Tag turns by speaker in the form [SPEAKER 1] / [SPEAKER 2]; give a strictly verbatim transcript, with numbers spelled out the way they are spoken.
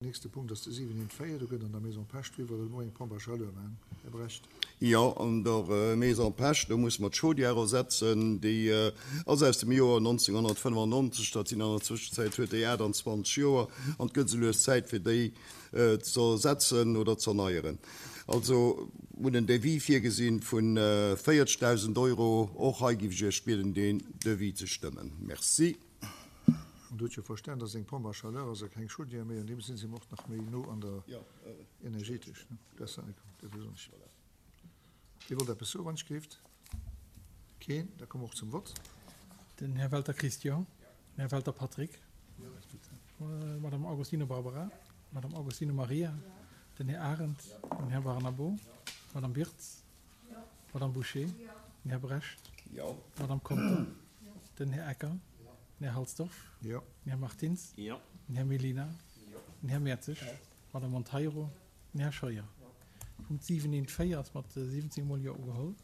[SPEAKER 1] Nächste Punkt ass de siwen eent véier. Do gëtt an der Maison Pesch driwwer elo eng Pompe à chaleur maachen. Här Brecht.
[SPEAKER 2] Jo, an der Maison Pesch, do musse mer d'Chaudière ersetzen. Déi ass aus dem Joer nonzénghonnertfënnefannonzeg. Dat sinn an der Zwëschenzäit huet déi aachtanzwanzeg Joer an et gëtt esou lues Zäit fir déi ze ersetzen oder ze erneieren. Also hunn en Devis virgesinn vu véierzegdausend Euro. Och hei géif ech Iech bieden, deen Devis ze stëmmen. Merci.
[SPEAKER 1] An do huet jo verstan, dass eng Pompe à chaleur ass a keng Chaudière méi, an deem Sinn si mer och nach méi no an der energetesch. Dir wollt eppes soen, wann ech gleeft? Keen? Da komme mer och zum Vott.
[SPEAKER 3] Den Här Welter Christian. Den Här Welter Patrick. D'Madame Agostino Barbara. D'Madame Agostino Maria. Den Här Arendt. Den Här Barnabo. D'Madame Wirtz. D'Madame Bouché. Den Här Brecht. D'Madame Conter. Den Här Ecker. Den Här Halsdorf.
[SPEAKER 1] Jo.
[SPEAKER 3] Den Här Martins.
[SPEAKER 4] Jo.
[SPEAKER 3] Den Här Mellina. Den Här Mertzig. D'Madame Monteiro. Den Här Scheuer. Punkt siwen eent véier ass mat siwwenzéng Mol Jo ugeholl.